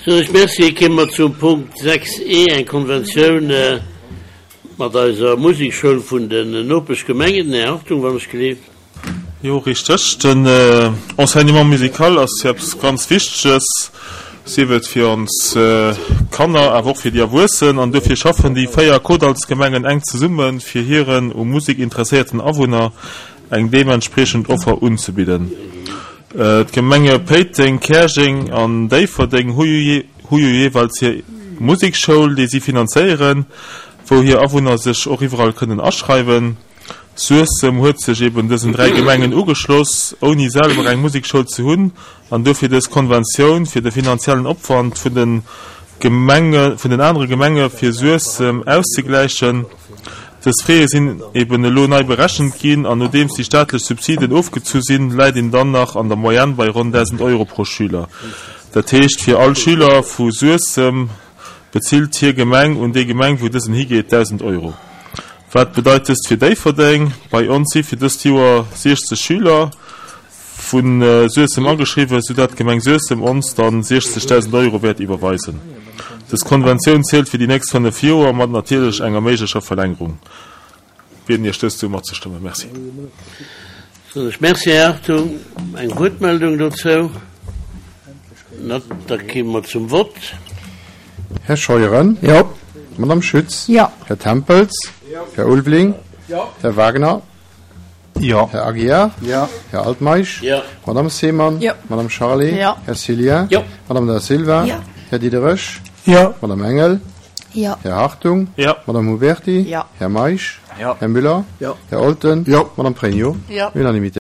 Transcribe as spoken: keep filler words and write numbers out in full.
Soen ech Merci. Kéime mer zum Punkt sechs e, eng Konventioun mat eiser Musekschoul vun den Nopeschgemengen. Den Här Hartung, wann ech gleef. Jo, richteg. Den Enseignement musical ass jo eppes ganz Wichteges, sief et fir ons Kanner, awer och fir déi Erwuessen. An dofir schaffen déi véier Kordallsgemengen enk zesummen, fir hiren u Musek interesséierten Awunner eng deementspriechend Offer unzebidden. D'Gemenge Péiteng, Käerjeng an Déifferdeng hu jo jeeweils hir Musekschoul, déi si finanzéieren, wou hir Awunner sech och iwwerall kënnen aschreiwen. Suessem huet sech eben dësen dräi Gemengen ugeschloss, ouni selwer eng Musekschoul ze hunn, an dofir dës Konventioun, fir de finanziellen Opwand vun de Gemenge vun den anere Gemenge fir Suessem auszegläichen. Dës Frais sinn eben elo nei berechent ginn, an nodeems déi staatlech Subsiden ofgezu sinn, läit een dann nach an der Moyenne bei ronn dausend Euro pro Schüler. Dat heescht, fir all Schüler vu Suessem bezilt hir Gemeng un déi Gemeng, wou dësen higeet, dausend Euro. Wat bedeit dëst fir Déifferdeng? Bei ons si fir dëst Joer siechzeg Schüler vu Suessem ageschriwwen, soudatt d'Gemeng Suessem ons dann siechzegdausend Euro wäert iwwerweisen. Dës Konventioun zielt fir déi nächst fënnef Joer, mat natierlech enger méiglecher Verlängerung. Bieden Iech dëst esou matzestëmmen. Merci. Soen ech Merci, Här Hartung. Eng Wuertmeldung dozou? Net. Da komme mer zum Vott. Här Scheuren? Jo. Madame Schütz? Jo. Här Tempels? Jo. Här Ulveling? Jo. Här Wagner? Jo. Här Aguiar? Jo. Här Altmeisch? Jo. Madame Seemann? Jo. Madame Charlé? Jo. Här Cillien? Jo. Madame Da Silva? Jo. Här Diderich? Jo. Madame Engel? Jo. Här Hartung? Jo. Madame Huberty? Jo. Här Meisch? Jo. Här Müller? Jo. Här Olten? Jo. Madame Pregno? Jo. Unanimité.